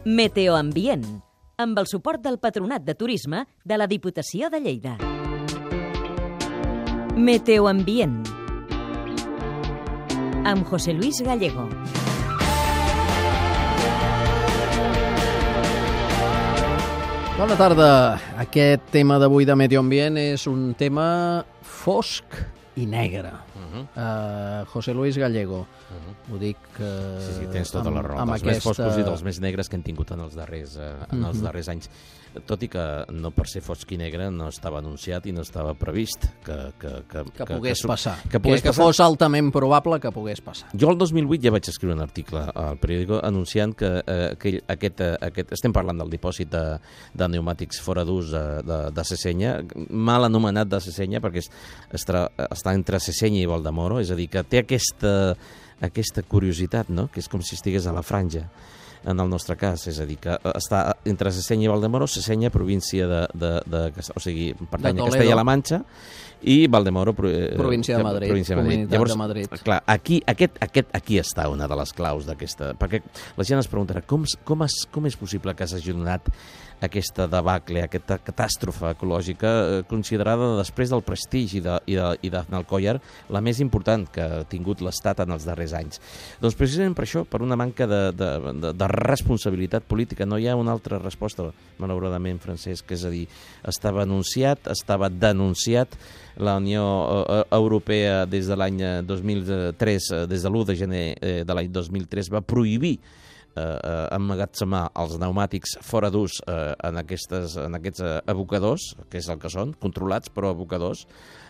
Meteoambient, amb el suport del Patronat de Turisme de la Diputació de Lleida. Meteoambient, amb José Luis Gallego. Bona tarda. Aquest tema d'avui de Meteoambient és un tema fosc i negre. José Luis Gallego. Ho dic Sí, tens tota la raó. Els més foscos i dels més negres que hem tingut en els darrers anys. Tot i que no per ser fosc i negre no estava anunciat i no estava previst que pogués passar. Que fos altament probable que pogués passar. Jo el 2008 ja vaig escriure un article al periòdico anunciant que estem parlant del dipòsit de pneumàtics fora d'ús de Sesenya, mal anomenat de Sesenya perquè està entre Sesenya i Valdemoro, és a dir, que té aquesta curiositat, no? Que és com si estigués a la franja, en el nostre cas, és a dir, que està entre Sesenya i Valdemoro, Sesenya, província o sigui, pertany a Castella-La Manxa, i Valdemoro, província de Madrid, Comunitat Llavors, de Madrid. Clar, aquí està una de les claus d'aquesta, perquè la gent es preguntarà com és possible que s'hagi donat aquesta debacle, aquesta catàstrofe ecològica considerada després del prestigi i d'Aznalcóllar la més important que ha tingut l'Estat en els darrers anys. Doncs precisament per això, per una manca de responsabilitat política, no hi ha una altra resposta, malauradament, Francesc, és a dir, estava anunciat, estava denunciat, la Unió Europea des de l'any 2003, des de l'1 de gener de l'any 2003, va prohibir emmagatzemar els pneumàtics fora d'ús en aquests abocadors, que és el que són, controlats però abocadors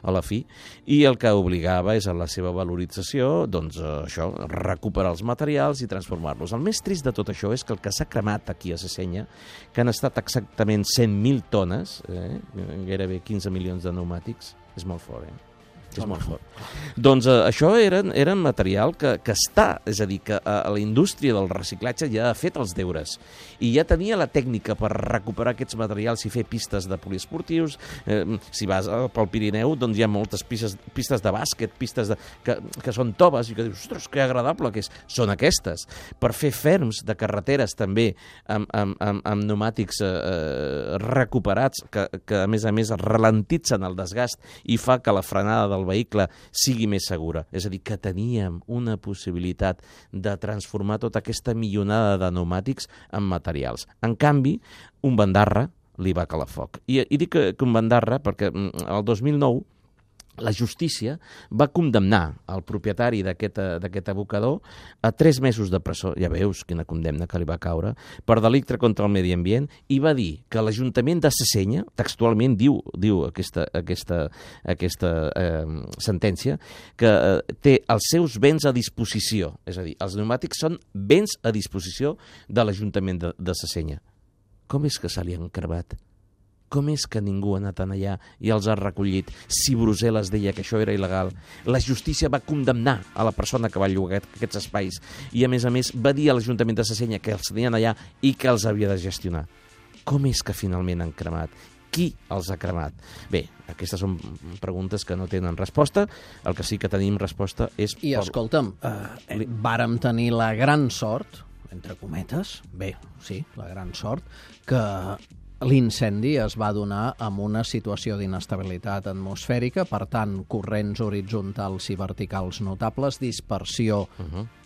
a la fi, i el que obligava és a la seva valorització, doncs això, recuperar els materials i transformar-los. El més trist de tot això és que el que s'ha cremat aquí a Sesenya, que han estat exactament 100.000 tones, gairebé 15 milions de pneumàtics, és molt fort, és molt fort. Doncs això era material que està, és a dir, que la indústria del reciclatge ja ha fet els deures i ja tenia la tècnica per recuperar aquests materials i fer pistes de poliesportius. Si vas pel Pirineu, doncs hi ha moltes pistes de bàsquet, pistes que són toves i que dius, ostres, que agradable que és. Són aquestes. Per fer ferms de carreteres també amb pneumàtics recuperats que a més ralentitzen el desgast i fa que la frenada del vehicle sigui més segura. És a dir, que teníem una possibilitat de transformar tota aquesta milionada de pneumàtics en materials. En canvi, un bandarra li va calar foc. I dic que un bandarra perquè el 2009 la justícia va condemnar el propietari d'aquest abocador a 3 mesos de presó, ja veus quina condemna que li va caure, per delicte contra el medi ambient, i va dir que l'Ajuntament de Sesenya, textualment diu aquesta sentència, que té els seus béns a disposició, és a dir, els pneumàtics són béns a disposició de l'Ajuntament de Sesenya. Com és que se li han cremat? Com és que ningú ha anat allà i els ha recollit si Brussel·les deia que això era il·legal? La justícia va condemnar a la persona que va llogar aquests espais i, a més, va dir a l'Ajuntament de Sesenya que els tenien allà i que els havia de gestionar. Com és que finalment han cremat? Qui els ha cremat? Bé, aquestes són preguntes que no tenen resposta. El que sí que tenim resposta és... I escolta'm, vàrem tenir la gran sort, entre cometes, la gran sort, que l'incendi es va donar amb una situació d'inestabilitat atmosfèrica, per tant, corrents horitzontals i verticals notables, dispersió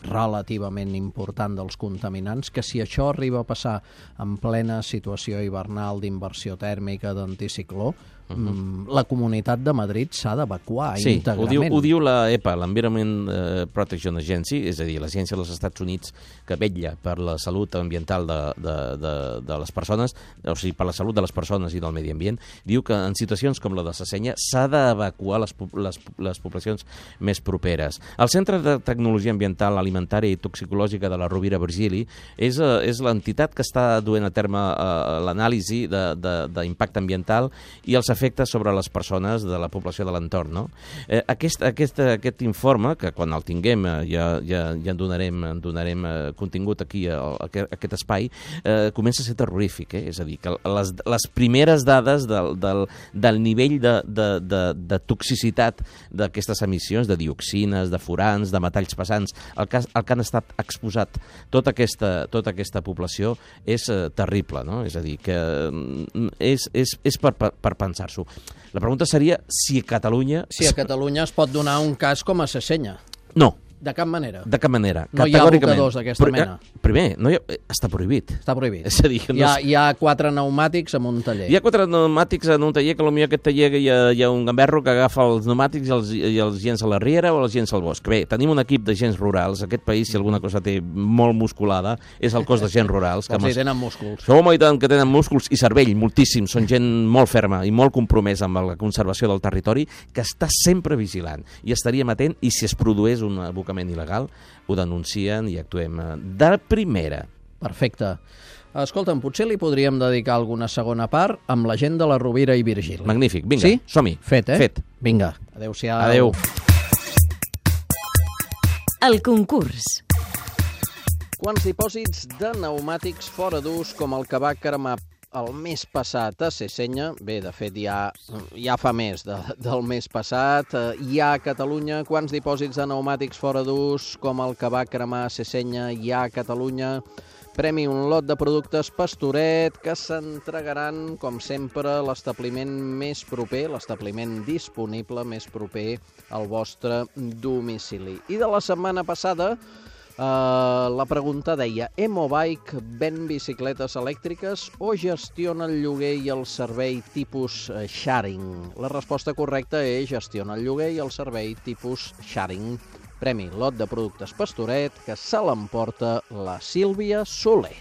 relativament important dels contaminants, que si això arriba a passar en plena situació hivernal d'inversió tèrmica, d'anticicló, la Comunitat de Madrid s'ha d'evacuar íntegrament. Ho diu la EPA, l'Environment Protection Agency, és a dir, l'agència dels Estats Units que vetlla per la salut ambiental de les persones, o sigui, per la salut de les persones i del medi ambient, diu que en situacions com la de Sesenya s'ha d'evacuar les poblacions més properes. El Centre de Tecnologia Ambiental, Alimentària i Toxicològica de la Rovira Virgili és l'entitat que està duent a terme l'anàlisi d'impacte ambiental i els efectes sobre les persones de la població de l'entorn, no? Aquest informe, que quan el tinguem ja en donarem contingut aquí a aquest espai, comença a ser terrorífic, és a dir, que les primeres dades del nivell de toxicitat d'aquestes emissions, de dioxines, de furans, de metalls pesants, el que han estat exposat tota aquesta població és terrible, no? És a dir, que és per pensar-s'ho. La pregunta seria si a Catalunya... Si a Catalunya es pot donar un cas com a Sesenya. No. De cap manera. De cap manera. No hi ha abocadors d'aquesta mena. Primer, està prohibit. Està prohibit. És a dir, hi ha 4 pneumàtics en un taller. Hi ha 4 pneumàtics en un taller, que potser aquest taller hi ha un gamberro que agafa els pneumàtics i els llença a la riera o els llença al bosc. Bé, tenim un equip d'agents rurals. Aquest país, si alguna cosa té molt musculada, és el cos d'agents rurals. Que tenen músculs. Som i tant que tenen músculs i cervell, moltíssim. Són gent molt ferma i molt compromesa amb la conservació del territori, que està sempre vigilant. I estaríem atent, i si es produeix un abocament il·legal, ho denuncien i actuem de primera. Perfecte. Escolta'm, potser li podríem dedicar alguna segona part amb la gent de la Rovira i Virgili. Magnífic, vinga, sí? Som-hi. Fet, Fet. Vinga, adéu-siau. Adéu. El concurs. Quants dipòsits de pneumàtics fora d'ús, com el que va cremar el mes passat a Sesenya, bé, de fet ja fa més del mes passat, hi ha a Catalunya? Quants dipòsits de pneumàtics fora d'ús, com el que va cremar a Sesenya, hi ha a Catalunya? Premi un lot de productes Pastoret que s'entregaran, com sempre, a l'establiment més proper, l'establiment disponible més proper al vostre domicili. I de la setmana passada, la pregunta deia: Emobike ven bicicletes elèctriques o gestiona el lloguer i el servei tipus sharing? La resposta correcta és gestiona el lloguer i el servei tipus sharing. Premi lot de productes Pastoret que se l'emporta la Sílvia Soler.